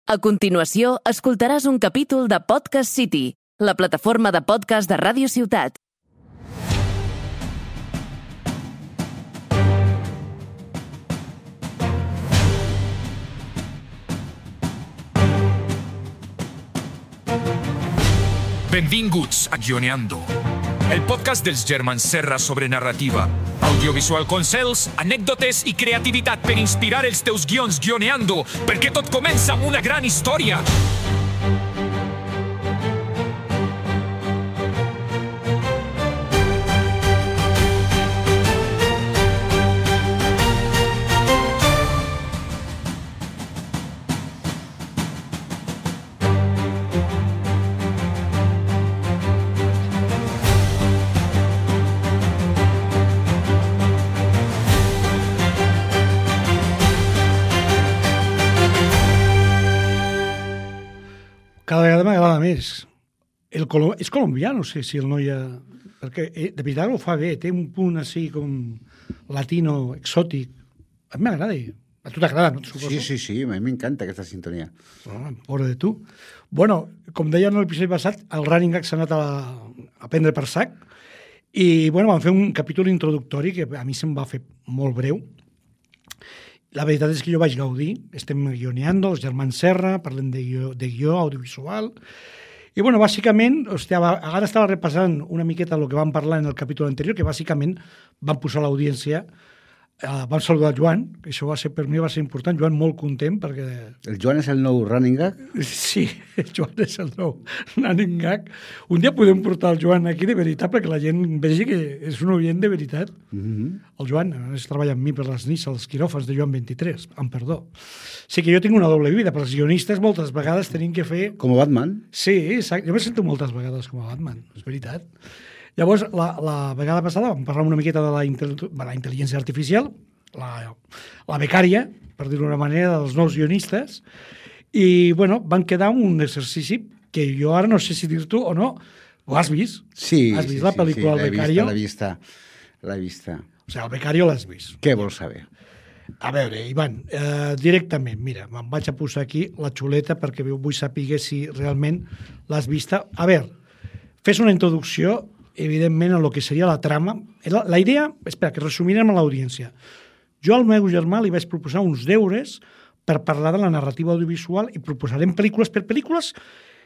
A continuació, escoltaràs un capítol de Podcast City, la plataforma de podcast de Ràdio Ciutat. Benvinguts a Guioneando, el podcast dels germans Serra sobre narrativa, audiovisual consells, anècdotes i creativitat per inspirar els teus guions guioneando, perquè tot comença amb una gran història. Cada vegada m'agrada més. És colombià, no sé si el noi... Perquè de veritat ho fa bé, té un punt així com latino, exòtic. A mi m'agrada. A tu t'agrada, no? Sí, a mi m'encanta aquesta sintonia. Pobre de tu. Bueno, com deia en l'episodi passat, el Running Gag s'ha anat a prendre per sac i bueno, vam fer un capítol introductori que a mi se'm va fer molt breu. La veritat és que jo vaig gaudir, estem guioneando, els germans Serra, parlem de guió audiovisual, i bueno, bàsicament, ara estava repassant una miqueta el que vam parlar en el capítol anterior, que bàsicament van posar l'audiència, vam saludar Joan, que això per mi va ser important, Joan molt content, perquè... El Joan és el nou running gag? Sí, el Joan és el nou running gag. Un dia podem portar el Joan aquí de veritat, perquè la gent vegi que és un oient de veritat. El Joan treballa amb mi per les nits, als quiròfans de Joan 23, amb perdó. Sí que jo tinc una doble vida, però els guionistes moltes vegades tenim que fer... Com a Batman? Sí, exacte. Jo me sento moltes vegades com a Batman, és veritat. Llavors, la vegada passada vam parlar una miqueta de la intel·ligència artificial, la becària, per dir-ho d'una manera, dels nous guionistes, i, bueno, van quedar un exercici que jo ara no sé si dir-t'ho o no. Ho has vist? Sí. Has vist la pel·lícula El Becario? L'he vista. O sigui, El Becario l'has vist. Què vols saber? A veure, Ivan, directament, mira, me'n vaig a posar aquí la xuleta perquè vull saber si realment l'has vista. A veure, fes una introducció evidentment, en el que seria la trama. La idea, espera, que resumirem a l'audiència. Jo al meu germà li vaig proposar uns deures per parlar de la narrativa audiovisual i proposarem pel·lícules per pel·lícules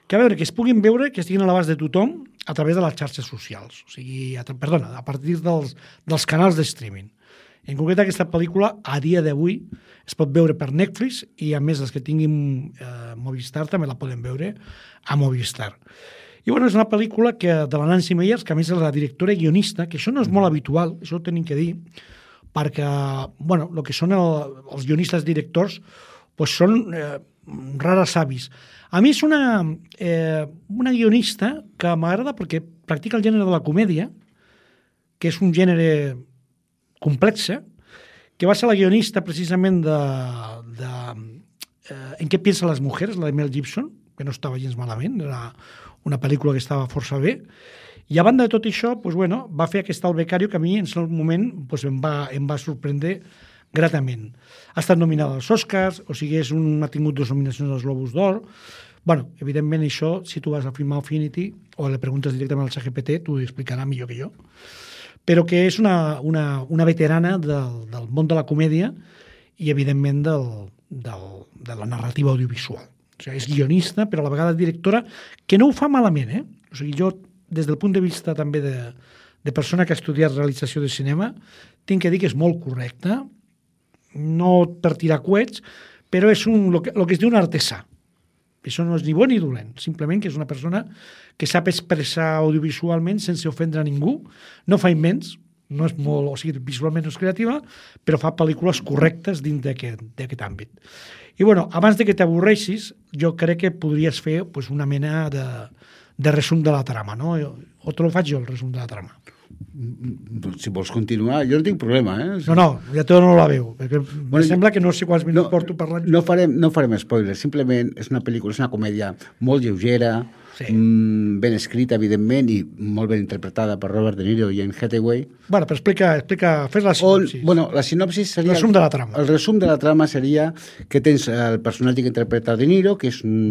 que, a veure, que es puguin veure, que estiguin a l'abast de tothom a través de les xarxes socials. O sigui, a partir dels canals de streaming. En concret, aquesta pel·lícula, a dia d'avui, es pot veure per Netflix i, a més, els que tinguin Movistar també la poden veure a Movistar. I bueno, és una pel·lícula de la Nancy Meyers, que a més és la directora i guionista, que això no és molt habitual, això ho tenim que dir, perquè, bueno, el que són els guionistes directors pues són rares avis. A mi és una guionista que m'agrada perquè practica el gènere de la comèdia, que és un gènere complex, que va ser la guionista precisament de En què piensan les mujeres, la de Mel Gibson, que no estava gens malament, era una pel·lícula que estava força bé, i a banda de tot això, pues, bueno, va fer aquesta El Becario que a mi en el moment pues, em va sorprendre gratament. Ha estat nominada als Oscars, o sigui, ha tingut 2 nominacions als Globus d'Or. Bueno, evidentment això, si tu vas a Film Affinity o le preguntes directament al ChatGPT, t'ho explicarà millor que jo, però que és una veterana del món de la comèdia i, evidentment, de la narrativa audiovisual. O sigui, és guionista, però a la vegada directora, que no ho fa malament, O sigui, jo, des del punt de vista també de persona que ha estudiat realització de cinema, tinc que dir que és molt correcta, no per tirar coets, però és el que es diu un artesà. Això no és ni bo ni dolent, simplement que és una persona que sap expressar audiovisualment sense ofendre a ningú, no fa invents, no és molt, o sigui, visualment no és creativa, però fa pel·lícules correctes dins d'aquest àmbit. I, bueno, abans de que t'avorreixis, jo crec que podries fer pues, una mena de resum de la trama, no? O te lo faig jo, el resum de la trama? Si vols continuar, jo no tinc problema, No, ja te dono la veu, perquè em sembla que no sé quants minuts porto parlant. No farem spoilers, simplement és una pel·lícula, és una comèdia molt lleugera, Sí. ben escrita, evidentment, i molt ben interpretada per Robert De Niro i Anne Hathaway. Bueno, però explica, fes la sinopsis. La sinopsis seria... El resum de la trama. El resum de la trama seria que tens el personatge que interpreta De Niro, que és un...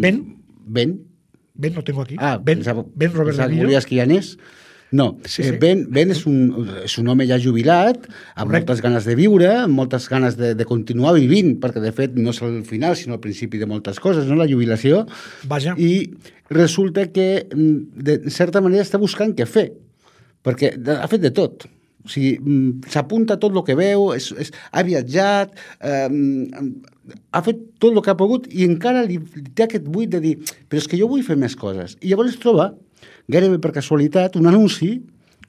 Ben, lo tengo aquí. Ben Robert De Niro. Volies que ja n'és? No, Sí. Ben és un home ja jubilat, amb moltes ganes de viure, amb moltes ganes de continuar vivint, perquè de fet no és el final, sinó el principi de moltes coses, no? La jubilació. Vaja. I resulta que, de certa manera, està buscant què fer, perquè ha fet de tot. O sigui, s'apunta tot el que veu, ha viatjat, ha fet tot el que ha pogut i encara li té aquest buit de dir però és que jo vull fer més coses. I llavors troba, gairebé per casualitat, un anunci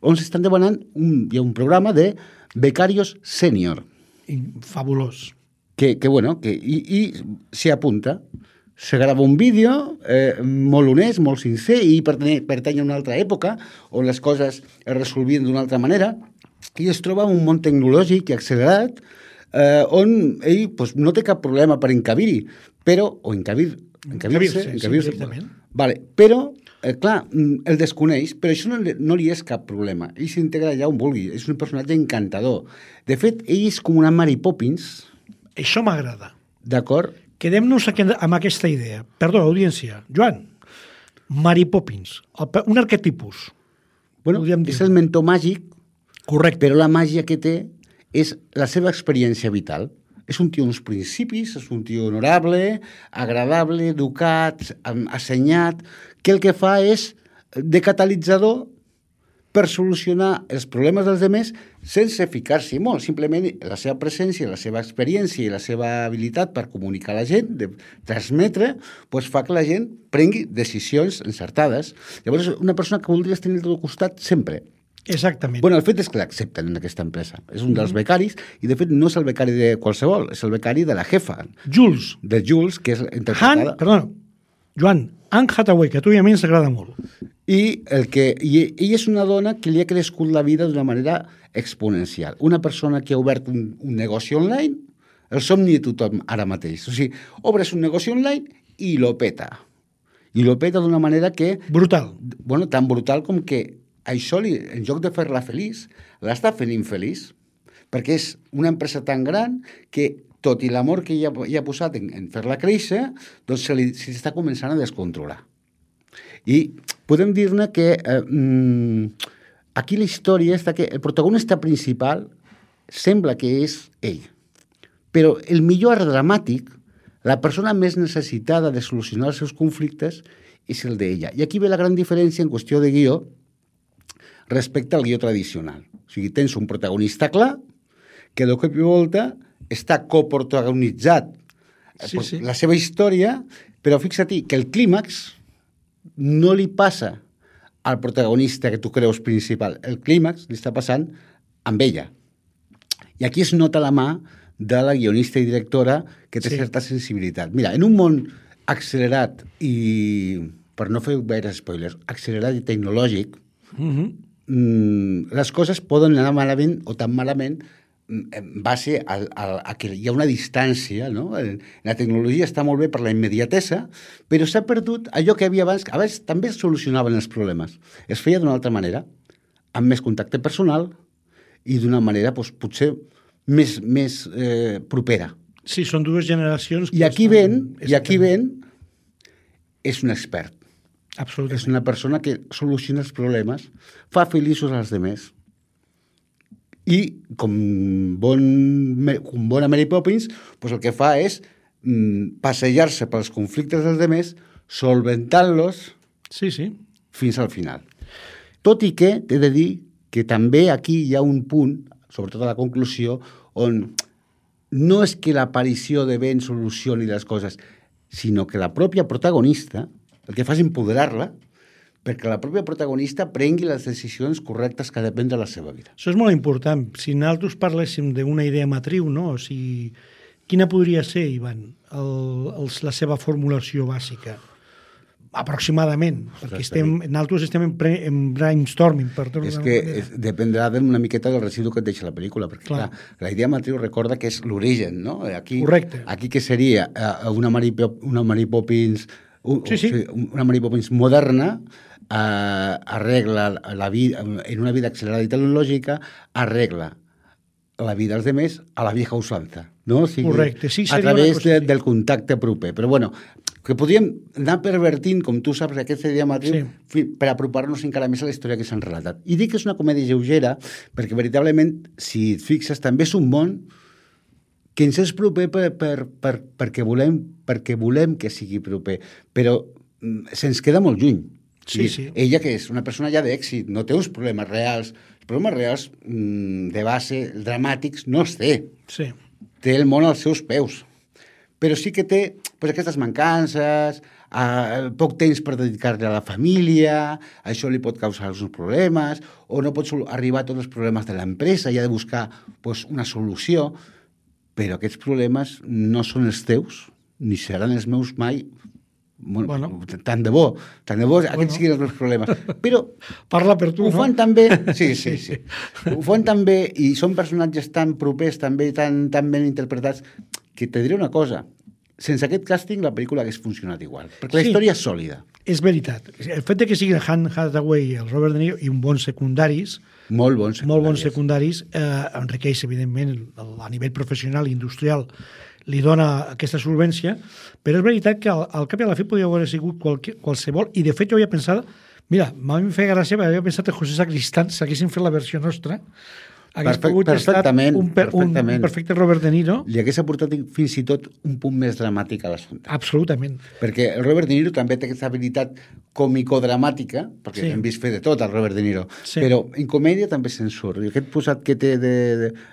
on s'estan demanant hi ha un programa de becarios sènior. Fabulós. I s'hi apunta. Se grava un vídeo molt honest, molt sincer i pertany a una altra època on les coses es resolvien d'una altra manera i es troba en un món tecnològic i accelerat on ell no té cap problema per encabir-hi, o encabir-se. Vale, però, clar, el desconeix, però això no li és cap problema. Ell s'integra allà on vulgui, és un personatge encantador. De fet, ell és com una Mary Poppins. Això m'agrada. D'acord? Quedem-nos amb aquesta idea. Perdó, audiència. Joan, Mary Poppins, un arquetipus. És el mentor màgic. Correcte. Però la màgia que té és la seva experiència vital. És un tio amb uns principis, és un tio honorable, agradable, educat, assenyat, que el que fa és de catalitzador per solucionar els problemes dels altres sense ficar-s'hi molt. Simplement la seva presència, la seva experiència i la seva habilitat per comunicar a la gent, de transmetre, fa que la gent prengui decisions encertades. Llavors és una persona que voldries tenir al teu costat sempre. Exactament. El fet és que l'accepten en aquesta empresa. És un dels becaris, i de fet no és el becari de qualsevol, és el becari de la jefa. Jules. De Jules, que és interpretada... Joan, Anne Hathaway, que a tu i a mi ens agrada molt. I ella és una dona que li ha crescut la vida d'una manera exponencial. Una persona que ha obert un negoci online, el somni de tothom ara mateix. O sigui, obres un negoci online i lo peta. I lo peta d'una manera que... Brutal. Tan brutal com que això, en lloc de fer-la feliç, l'està fent infeliç, perquè és una empresa tan gran que, tot i l'amor que ella ha posat en fer-la créixer, doncs s'està començant a descontrolar. I podem dir-ne que aquí la història està que el protagonista principal sembla que és ell, però el millor art dramàtic, la persona més necessitada de solucionar els seus conflictes, és el d'ella. I aquí ve la gran diferència en qüestió de guió respecte al guió tradicional. O sigui, tens un protagonista clar que de cop i volta està coprotagonitzat la seva història, però fixa't que el clímax no li passa al protagonista que tu creus principal. El clímax li està passant amb ella. I aquí es nota la mà de la guionista i directora que té certa sensibilitat. Mira, en un món accelerat i, per no fer gaire spoilers, accelerat i tecnològic, les coses poden anar malament o tan malament en base a que hi ha una distància, no? La tecnologia està molt bé per la immediatesa, però s'ha perdut allò que havia abans, que abans també es solucionaven els problemes. Es feia d'una altra manera, amb més contacte personal i d'una manera potser més propera. Sí, són dues generacions... I aquí Ben és un expert. Absolutament. És una persona que soluciona els problemes, fa feliços als altres. I, com bona Mary Poppins, el que fa és passejar-se pels conflictes dels altres, solventant-los fins al final. Tot i que t'he de dir que també aquí hi ha un punt, sobretot a la conclusió, on no és que l'aparició de Ben solucioni les coses, sinó que la pròpia protagonista el que fa és empoderar-la perquè la pròpia protagonista prengui les decisions correctes que ha de prendre la seva vida. Això és molt important. Si nosaltres parléssim d'una idea matriu, no? O sigui, quina podria ser, Ivan, la seva formulació bàsica? Aproximadament, perquè nosaltres estem en brainstorming. És que dependrà una miqueta del residu que et deixa la pel·lícula, perquè clar, la idea matriu recorda que és l'origen, no? Correcte. Aquí que seria una Mary Poppins una Mary Poppins moderna arregla la vida, en una vida acelerada i tecnològica, arregla la vida dels demés a la vieja usanza, no? O sigui, correcte, sí, a través del contacte proper. Però bueno, que podríem anar pervertint, com tu saps, aquest diametri per apropar-nos encara més a la història que s'han relatat. I dic que és una comèdia lleugera perquè veritablement, si et fixes, també és un món que ens és proper perquè volem que sigui proper, però se'ns queda molt lluny. Sí. Ella, que és una persona ja d'èxit, no té uns problemes reals. Els problemes reals de base, dramàtics, no els té. Sí. Té el món als seus peus. Però sí que té aquestes mancances, poc temps per dedicar-li a la família, això li pot causar alguns problemes, o no pot arribar a tots els problemes de l'empresa i ha de buscar una solució, però aquests problemes no són els teus, ni seran els meus mai. Bueno, tant de bo, aquests siguin els meus problemes. Però parla per tu, ho fan també, sí. Ho fan també, i són personatges tan propers, també tan ben interpretats, que te diré una cosa, sense aquest càsting la pel·lícula hagués funcionat igual, perquè la història és sòlida. És veritat. El fet que siguin Anne Hathaway i el Robert De Niro i un bons secundaris, molt bons secundaris, enriqueix, evidentment, a nivell professional i industrial, li dona aquesta solvència, però és veritat que al cap i a la fi podria haver sigut qualsevol, i de fet jo havia pensat, mira, m'ha fet gràcia, perquè havia pensat que José Sacristán, si haguessin fet la versió nostra, hagués pogut estar un perfecte Robert De Niro. Li hagués aportat fins i tot un punt més dramàtic a l'assumpte. Absolutament. Perquè el Robert De Niro també té aquesta habilitat còmico-dramàtica, perquè hem vist fer de tot el Robert De Niro, però en comèdia també se'n surt. I aquest posat que té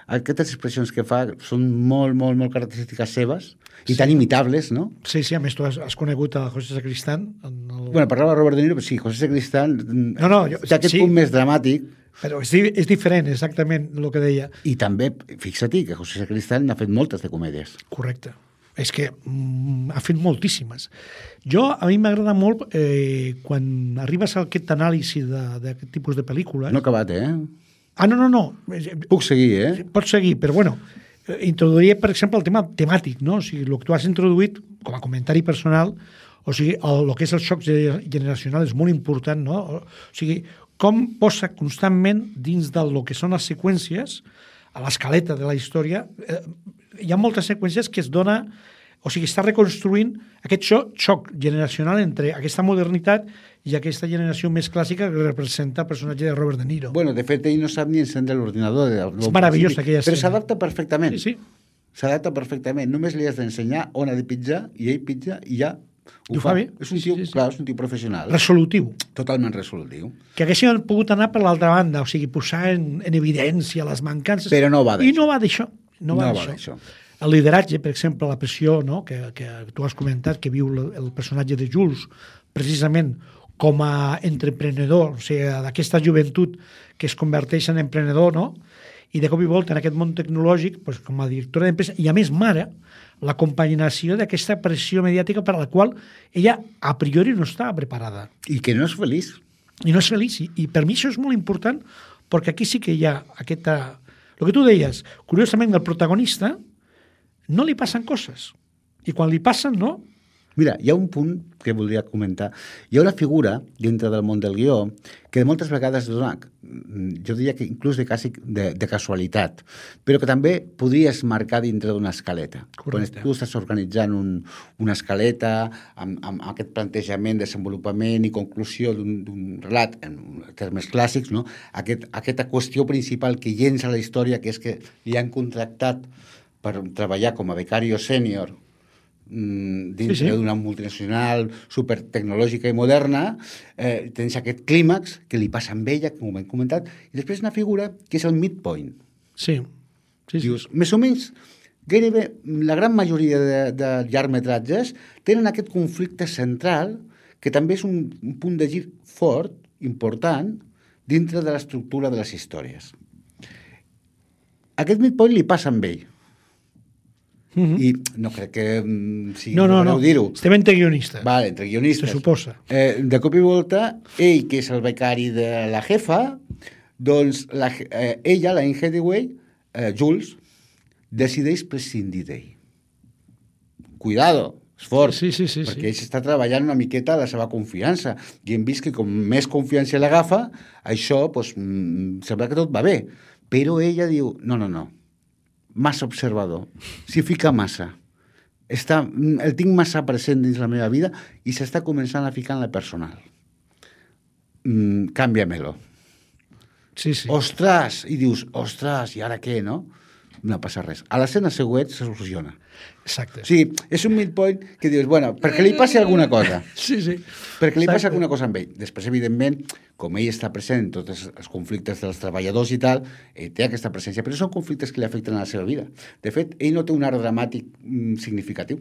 aquestes expressions que fa són molt característiques seves i tan imitables, no? Sí, a més tu has conegut a José Sacristán. Bueno, parlava Robert De Niro, però sí, José Sacristán té aquest punt més dramàtic. Però és diferent, exactament, el que deia. I també, fixa-t'hi, que José Sacristán n'ha fet moltes de comèdies. Correcte. És que ha fet moltíssimes. A mi m'agrada molt quan arribes a aquest anàlisi d'aquest tipus de pel·lícules... No ha acabat, eh? No. Puc seguir, eh? Pots seguir, però bueno, introduiria, per exemple, el tema temàtic, no? O sigui, el que tu has introduït com a comentari personal, o sigui, el que és el xoc generacional és molt important, no? O sigui, com posa constantment dins del que són les seqüències, a l'escaleta de la història, hi ha moltes seqüències que es dona, o sigui, està reconstruint aquest xoc generacional entre aquesta modernitat i aquesta generació més clàssica que representa el personatge de Robert De Niro. Bueno, de fet, ell no sap ni encendre l'ordinador. És meravellós aquella escena. Però s'adapta perfectament. Sí. S'adapta perfectament. Només li has d'ensenyar on ha de pitjar, i ell pitja i ja ho fa bé. És un tio, clar, és un tio professional. Resolutiu. Totalment resolutiu. Que haguessin pogut anar per l'altra banda, o sigui, posar en evidència les mancances. Però no va d'això. I no va d'això. No va d'això. El lideratge, per exemple, la pressió, no?, que tu has comentat, que viu el personatge de Jules, precisament com a entreprenedor, o sigui, d'aquesta joventut que es converteix en emprenedor, no?, i de cop i volta en aquest món tecnològic, doncs, com a directora d'empresa, i a més mare, la compaginació d'aquesta pressió mediàtica per a la qual ella a priori no estava preparada. I que no és feliç. I no és feliç. I per mi això és molt important, perquè aquí sí que hi ha aquesta... El que tu deies, curiosament, el protagonista no li passen coses. I quan li passen, no... Mira, hi ha un punt que voldria comentar. Hi ha una figura dintre del món del guió que moltes vegades dona, jo diria que inclús de casualitat, però que també podries marcar dintre d'una escaleta. Correcte. Quan tu estàs organitzant una escaleta amb aquest plantejament, desenvolupament i conclusió d'un relat en termes clàssics, no? Aquesta qüestió principal que llença la història, que és que li han contractat per treballar com a becario sènior dintre d'una multinacional supertecnològica i moderna, tens aquest clímax que li passa amb ella, com hem comentat, i després una figura que és el midpoint. Sí. Dius, més o menys, gairebé la gran majoria de llargmetratges tenen aquest conflicte central que també és un punt de gir fort, important, dintre de l'estructura de les històries. Aquest midpoint li passa amb ell. I no crec que sigui no. dir-ho. Estem entre guionistes. Vale, entre guionistes. Se suposa. De cop i volta, ell, que és el becari de la jefa, doncs ella, la Anne Hathaway, Jules, decideix prescindir d'ell. Cuidado, fort, Sí. perquè ell està treballant una miqueta la seva confiança, i hem vist que com més confiança l'agafa, això pues, sembla que tot va bé, però ella diu, no, massa observador, s'hi fica massa, el tinc massa present dins la meva vida i s'està començant a ficar en la personal. Canvia-me-lo. Sí. Ostres! I dius, ostres, i ara què, no? No passa res. A l'escena següent se soluciona. Exacte. O sigui, és un midpoint que dius, bueno, perquè li passi alguna cosa. Sí. Perquè li passi alguna cosa amb ell. Després, evidentment, com ell està present en tots els conflictes dels treballadors i tal, té aquesta presència, però són conflictes que li afecten a la seva vida. De fet, ell no té un arc dramàtic significatiu.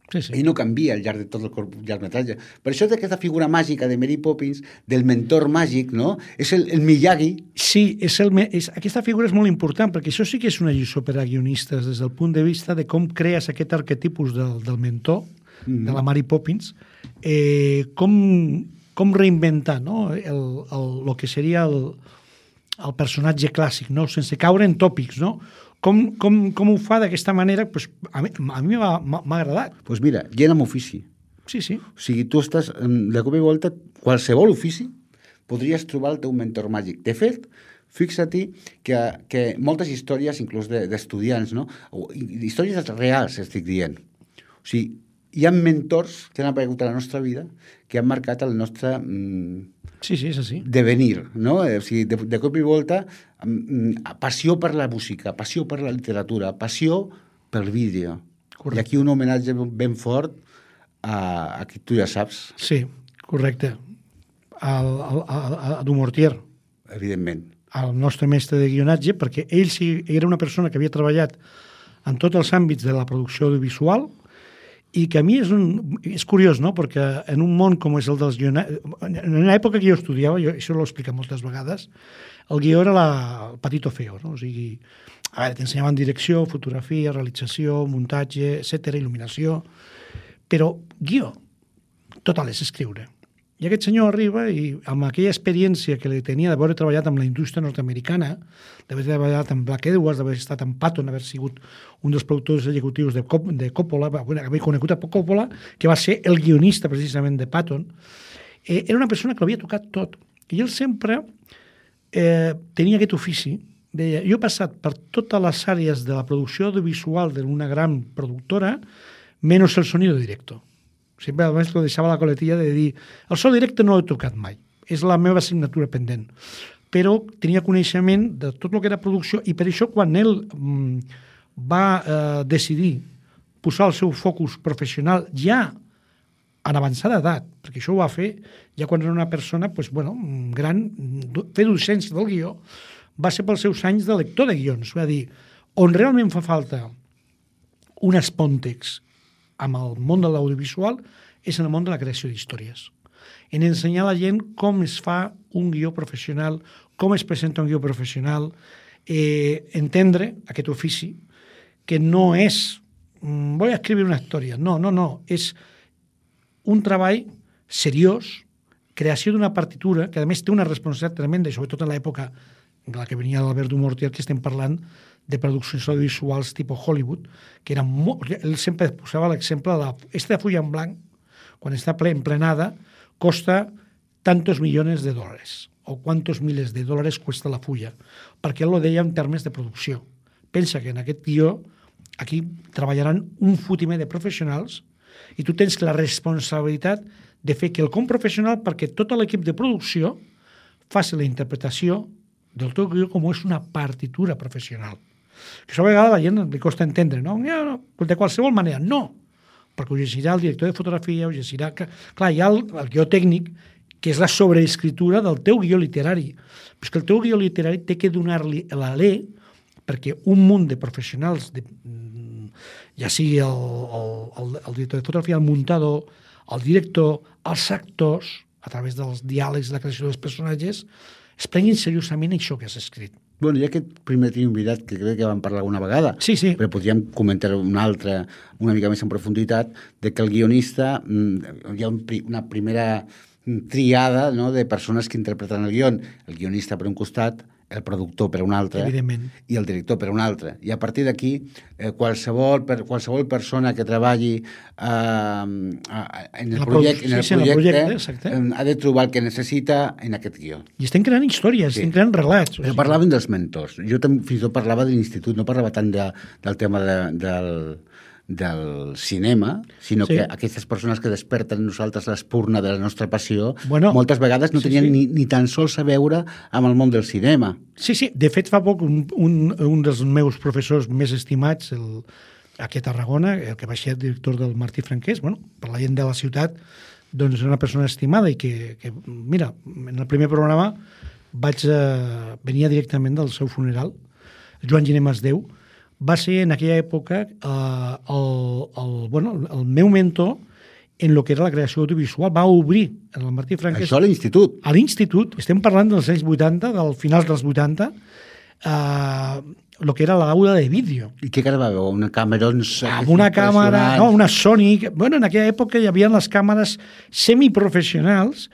Sí. Ell no canvia al llarg de tot el llargmetratge. Per això d'aquesta figura màgica de Mary Poppins, del mentor màgic, no? És el Miyagi. Sí, aquesta figura és molt important, perquè això sí que és una lliçó per a guionistes, des del punt de vista de com crees aquest arquetipus del mentor, de la Mary Poppins, com reinventar, no? el que seria el personatge clàssic, no? Sense caure en tòpics, no? Com ho fa d'aquesta manera, pues, a mi m'ha agradat. Doncs mira, llena amb ofici. Sí. O sigui, tu estàs, de cop i volta, qualsevol ofici, podries trobar el teu mentor màgic. De fet, fixa-t'hi que moltes històries, inclús d'estudiants, no? Històries reals, estic dient. O sigui, hi ha mentors que han aparegut a la nostra vida que han marcat el nostre Sí, és així. devenir, no? O sigui, de cop i volta, passió per la música, passió per la literatura, passió pel vídeo. Correcte. I aquí un homenatge ben fort a qui tu ja saps. Sí, correcte. A Dumortier. Evidentment. Al nostre mestre de guionatge, perquè ell sí era una persona que havia treballat en tots els àmbits de la producció audiovisual i que a mi és curiós, no? Perquè en un món com és el dels guionatges... En l'època que jo estudiava, això l'ho explicat moltes vegades, el guió era el patito feo, no? O sigui, a veure, t'ensenyaven direcció, fotografia, realització, muntatge, etc, il·luminació, però guió, total, és escriure. I aquest senyor arriba i amb aquella experiència que li tenia d'haver treballat amb la indústria nord-americana, d'haver treballat amb Black Edwards, d'haver estat amb Patton, d'haver sigut un dels productors executius de Coppola, haver conegut a Coppola, que va ser el guionista precisament de Patton, era una persona que l'havia tocat tot. I ell sempre tenia aquest ofici. Deia, jo he passat per totes les àrees de la producció audiovisual d'una gran productora, menys el sonido directo. Sempre el mestre deixava la coletilla de dir el so directe no l'he tocat mai, és la meva assignatura pendent, però tenia coneixement de tot el que era producció i per això quan ell va decidir posar el seu focus professional ja en avançada edat, perquè això ho va fer ja quan era una persona gran, fer docència del guió, va ser pels seus anys de lector de guions, va dir, on realment fa falta un espòntex amb el món de l'audiovisual és en el món de la creació d'històries. En ensenyar a la gent com es fa un guió professional, com es presenta un guió professional, entendre aquest ofici, que no és voy a escribir una història. No, és un treball seriós, creació d'una partitura, que a més té una responsabilitat tremenda, sobretot en l'època en la que venia l'Albert Dumortier, que estem parlant de produccions audiovisuals tipus Hollywood, que eren ell sempre posava l'exemple de esta fulla en blanc, quan està emplenada, costa tantos millones de dólares, o quantos miles de dólares cuesta la fulla, perquè ell ho deia en termes de producció. Pensa que en aquest guió, aquí treballaran un fotimer de professionals i tu tens la responsabilitat de fer que el com professional perquè tot l'equip de producció faci la interpretació del teu guió com és una partitura professional. Que això a vegades la gent li costa entendre, no? De qualsevol manera, no. Perquè ho llegirà el director de fotografia, ho llegirà... Clar, hi ha el guió tècnic, que és la sobreescritura del teu guió literari. Però és que el teu guió literari té que donar-li l'alè perquè un munt de professionals, ja sigui el director de fotografia, el muntador, el director, els actors, a través dels diàlegs i la creació dels personatges, es prenguin seriosament això que has escrit. Bueno, ja aquest primer triumvirat, que crec que vam parlar alguna vegada, sí. Però podríem comentar una altra, una mica més en profunditat, de que el guionista, hi ha una primera triada, no?, de persones que interpreten el guion. El guionista per un costat, el productor per un altre Evidentment. i el director per un altre. I a partir d'aquí, qualsevol persona que treballi en el projecte ha de trobar el que necessita en aquest guió. I estem creant històries, estem creant relats. Però parlaven dels mentors. Jo fins i tot parlava de l'institut, no parlava tant del tema del cinema, sinó que aquestes persones que desperten en nosaltres l'espurna de la nostra passió, moltes vegades no tenien ni tan sols a veure amb el món del cinema. Sí. De fet, fa poc un dels meus professors més estimats, aquí a Tarragona, el que va ser director del Martí Franquès, per la gent de la ciutat, doncs és una persona estimada i que mira, en el primer programa venia directament del seu funeral, Joan Giner Masdeu, va ser en aquella època el meu mentor en el que era la creació audiovisual. Va obrir en el Martí Franquès... Això a l'institut? A l'institut. Estem parlant dels anys 80, del finals dels 80, el que era l'aula de vídeo. I què gravava? Una Cameron... Amb una càmera... No, una Sony... Bueno, en aquella època hi havia les càmeres semiprofessionals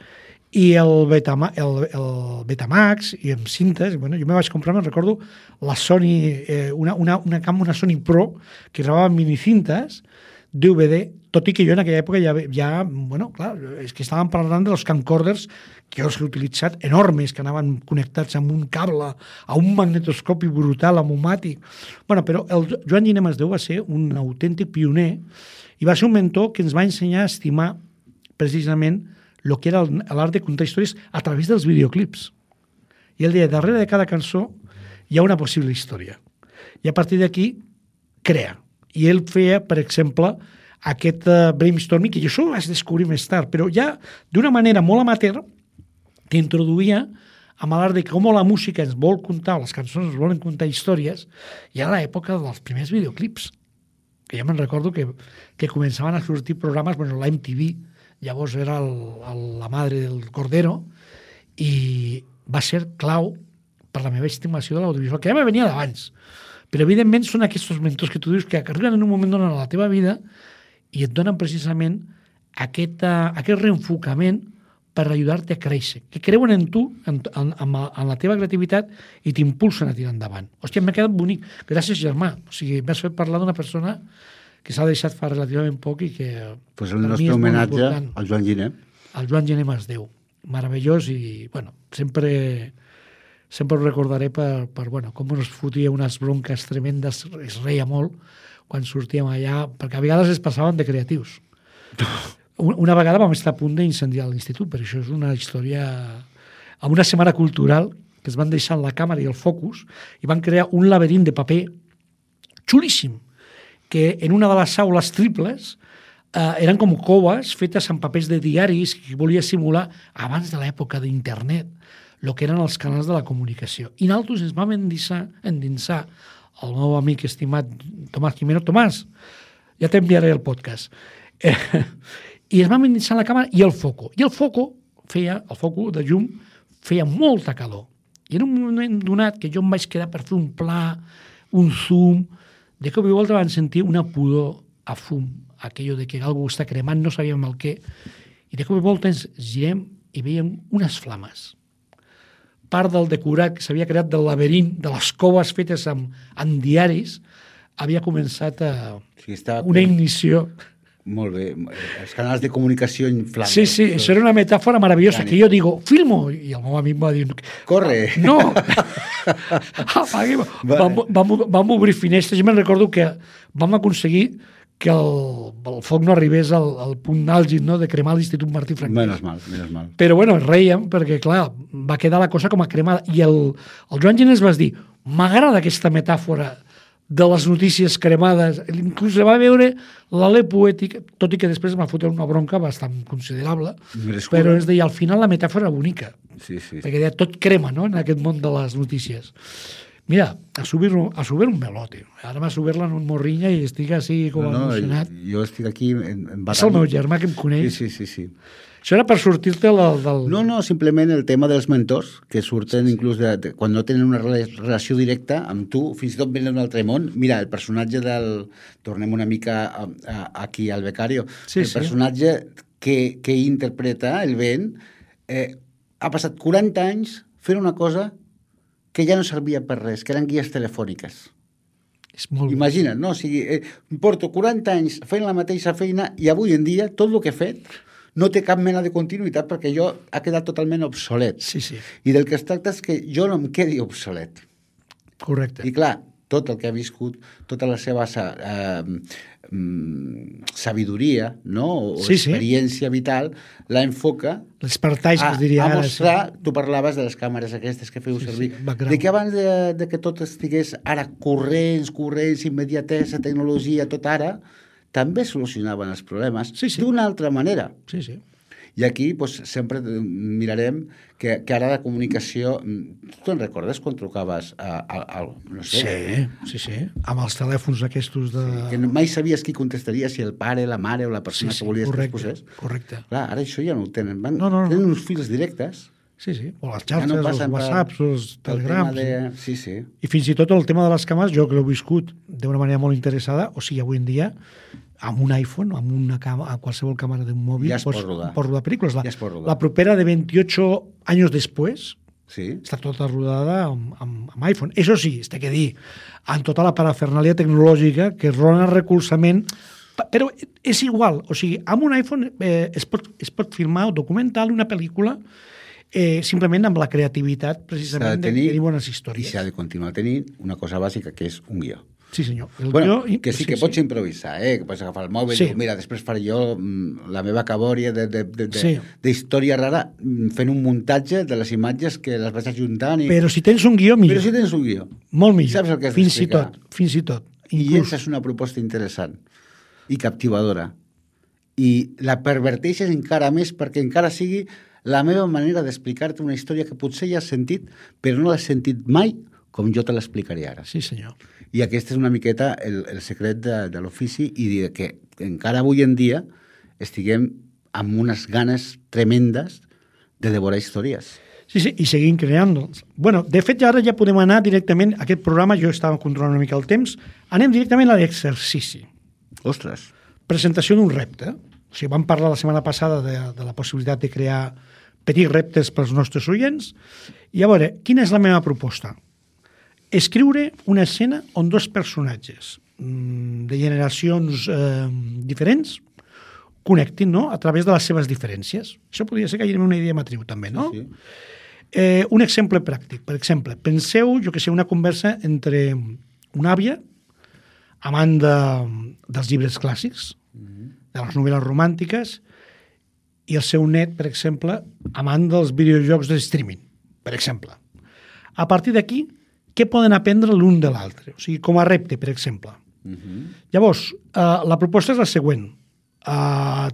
i el Betamax i amb cintes. Bueno, jo me vaig comprar, me'n recordo, la Sony, una Sony Pro que gravava minicintes, DVD, tot i que jo en aquella època bueno, clar, és que estàvem parlant dels camcorders que els he utilitzat, enormes, que anaven connectats amb un cable, a un magnetoscopi brutal, amomàtic. Bueno, però el Joan Giner Masdeu va ser un autèntic pioner i va ser un mentor que ens va ensenyar a estimar precisament el que era l'art de contar històries a través dels videoclips. I ell deia, darrere de cada cançó hi ha una possible història. I a partir d'aquí, crea. I ell feia, per exemple, aquest brainstorming, que jo això ho vaig descobrir més tard, però ja d'una manera molt amateur, que introduïa amb l'art de com la música ens vol contar, les cançons ens volen contar històries, i era l'època dels primers videoclips, que ja me'n recordo que començaven a sortir programes, la MTV, llavors era la madre del Cordero, i va ser clau per la meva estimació de l'audiovisual, que ja me venia d'abans. Però, evidentment, són aquests mentors que tu dius que arriben en un moment donat a la teva vida i et donen precisament aquest reenfocament per ajudar-te a créixer, que creuen en tu, en la teva creativitat i t'impulsen a tirar endavant. Hòstia, m'ha quedat bonic. Gràcies, germà. O sigui, m'has fet parlar d'una persona que s'ha deixat fa relativament poc i que pues el nostre homenatge al Joan Giner. Al Joan Giner Masdeu. Meravellós i, bueno, sempre ho recordaré per com ens fotia unes bronques tremendes, es reia molt quan sortíem allà, perquè a vegades es passaven de creatius. Una vegada vam estar a punt d'incendiar l'institut, però això és una història... Amb una setmana cultural que es van deixar la càmera i el focus i van crear un laberint de paper xulíssim, que en una de les aules triples eren com coves fetes amb papers de diaris que volia simular, abans de l'època d'internet, el que eren els canals de la comunicació. I nosaltres ens vam endinsar el meu amic estimat Tomàs Quimeno. Tomàs, ja t'enviaré el podcast. I ens vam endinsar la càmera i el foco. I el foco de llum feia molta calor. I en un moment donat que jo em vaig quedar per fer un pla, un zoom, de cop i volta van sentir una pudor a fum, aquello de que algú està cremant, no sabíem el què, i de cop i volta ens girem i veiem unes flames. Part del decorat que s'havia creat del laberint, de les coves fetes amb diaris, havia començat una ignició. Molt bé. Els canals de comunicació en flames. Sí, això era una metàfora meravellosa, que jo digo, filmo, i el meu amic va dir... Corre! No! Vam obrir finestres. Jo me'n recordo que vam aconseguir que el foc no arribés al punt àlgid, no?, de cremar l'Institut Martí Franquès. Menos mal. Però, bueno, rèiem perquè, clar, va quedar la cosa com a cremada. I el Joan Giner va dir, m'agrada aquesta metàfora de les notícies cremades. Inclús va veure l'alè poètic, tot i que després m'ha fotut una bronca bastant considerable, però es deia, al final la metàfora bonica. Sí. Perquè deia, tot crema, no?, en aquest món de les notícies. Mira, a subir un melote. Ara m'ha subir-la en un morrinya i estic així com emocionat. Jo estic aquí... És el meu germà que em coneix. Sí. Això era per sortir-te del... No, simplement el tema dels mentors, que surten inclús quan no tenen una relació directa amb tu, fins i tot venen d'un altre món. Mira, el personatge del... Tornem una mica aquí al Becario. El personatge que interpreta, el Ben, ha passat 40 anys fent una cosa que ja no servia per res, que eren guies telefòniques. És molt... Imagina't, no? O sigui, porto 40 anys fent la mateixa feina i avui en dia tot el que he fet no té cap mena de continuïtat perquè jo ha quedat totalment obsolet. Sí, sí. I del que es tracta és que jo no em quedi obsolet. Correcte. I clar, tot el que ha viscut, tota la seva sabidoria, no? O sí, experiència vital, la enfoca l'expertise, que es diria a ara, mostrar, tu parlaves de les càmeres aquestes que feu servir, de que abans de que tot estigués ara corrents, immediatesa, tecnologia, tot ara, també solucionaven els problemes d'una altra manera. Sí, sí. I aquí pues, sempre mirarem que ara la comunicació... Tu te'n recordes quan trucaves no sé... Sí. Amb els telèfons aquests de... Sí, que mai sabies qui contestaria, si el pare, la mare o la persona que volies que es posés. Correcte. Clar, ara això ja no ho tenen. Tenen uns fils directes. Sí. O les xarxes, els whatsapps, els telegrams. Sí. I fins i tot el tema de les càmeres, jo que l'he viscut d'una manera molt interessada, o sigui, avui en dia, amb un iPhone, amb una càmera, amb qualsevol càmera d'un mòbil, ja es pot rodar pel·lícules. Ja es pot rodar. La propera de 28 anys després sí. Està tota rodada amb iPhone. Això sí, té que dir, amb tota la parafernàlia tecnològica que rona recolzament, però és igual, o sigui, amb un iPhone es pot filmar o documentar una pel·lícula simplement amb la creativitat precisament de tenir bones històries. I s'ha de continuar tenint una cosa bàsica que és un guió. Sí, senyor. Que sí que pots improvisar, que pots agafar el mòbil i dir, mira, després faré jo la meva cabòria d'història rara fent un muntatge de les imatges que les vaig ajuntant. Però si tens un guió, millor. Però si tens un guió. Molt millor. Saps el que has d'explicar. Fins i tot. I aquesta és una proposta interessant i captivadora. I la perverteixes encara més perquè encara sigui la meva manera d'explicar-te una història que potser ja has sentit, però no l'has sentit mai com jo te l'explicaré ara. Sí, senyor. I aquest és una miqueta el secret de l'ofici i que encara avui en dia estiguem amb unes ganes tremendes de devorar històries. Sí, i seguim creant-los. Bueno, de fet, ara ja podem anar directament a aquest programa, jo estava controlant una mica el temps, anem directament a l'exercici. Ostres. Presentació d'un repte. O sigui, vam parlar la setmana passada de la possibilitat de crear petits reptes pels nostres oients. I a veure, quina és la meva proposta? Escriure una escena on dos personatges de generacions diferents connectin, no?, a través de les seves diferències. Això podria ser gairebé una idea matriu, també, no? Sí. Un exemple pràctic. Per exemple, penseu, jo que sé, una conversa entre una àvia, amant dels llibres clàssics, de les novel·les romàntiques, i el seu net, per exemple, amant dels videojocs de streaming, per exemple. A partir d'aquí, què poden aprendre l'un de l'altre? O sigui, com a repte, per exemple. Llavors, la proposta és la següent.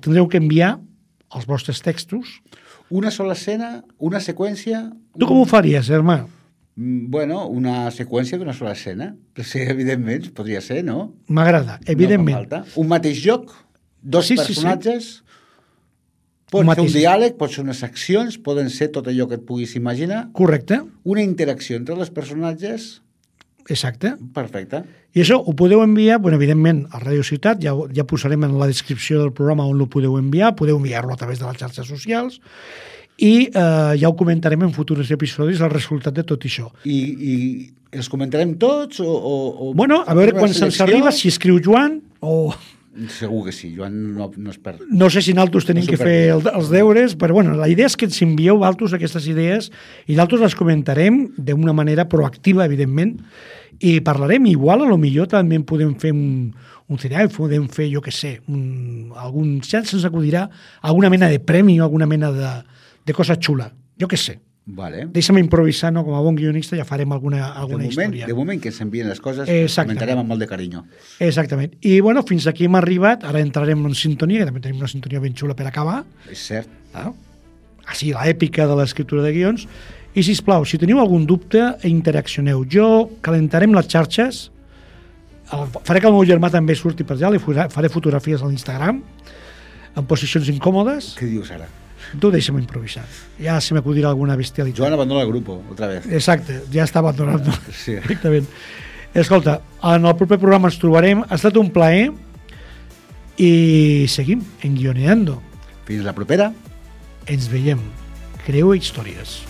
Tindreu que enviar els vostres textos. Una sola escena, una seqüència... Tu com ho faries, germà? Bueno, una seqüència d'una sola escena. Sí, evidentment, podria ser, no? M'agrada, evidentment. No un mateix joc, dos personatges... Pot ser un diàleg, pot ser unes accions, poden ser tot allò que et puguis imaginar. Correcte. Una interacció entre els personatges. Exacte. Perfecte. I això ho podeu enviar, bueno, evidentment, a Radio Ciutat, ja posarem en la descripció del programa on ho podeu enviar-lo a través de les xarxes socials, i ja ho comentarem en futurs episodis el resultat de tot això. I els comentarem tots? Bueno, a veure quan se'ns arriba, si escriu Joan o... Segur que sí, Joan no es perd. No sé si nosaltres tenim que fer els deures, però bueno, la idea és que ens envieu vosaltres aquestes idees i nosaltres les comentarem d'una manera proactiva, evidentment, i parlarem. Igual, a lo millor també podem fer un cereal, podem fer, jo què sé, ja se'ns acudirà alguna mena de premi o alguna mena de cosa xula, jo què sé. Vale. Deixa'm improvisar, no? Com a bon guionista ja farem alguna història. De moment que s'envien les coses, comentarem amb molt de carinyo. Exactament. I bueno, fins aquí hem arribat, ara entrarem en sintonia, que també tenim una sintonia ben xula per acabar. És cert. Així, l'èpica de l'escriptura de guions. I, sisplau, si teniu algun dubte, interaccioneu. Jo calentarem les xarxes, faré que el meu germà també surti per allà, li faré fotografies a l'Instagram, en posicions incòmodes. Què dius ara? Tu deixa'm improvisar. Ja se m'acudirà alguna bestialitat. Joan abandona el grup, otra vez. Exacte, ja està abandonat. Sí. Exactament. Escolta, en el proper programa ens trobarem. Ha estat un plaer i seguim enguioneando. Fins la propera. Ens veiem. Creu històries.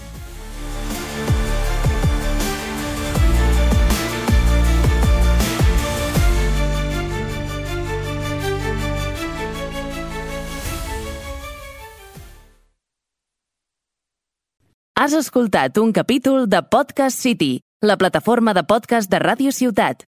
Has escoltat un capítol de Podcast City, la plataforma de podcast de Ràdio Ciutat.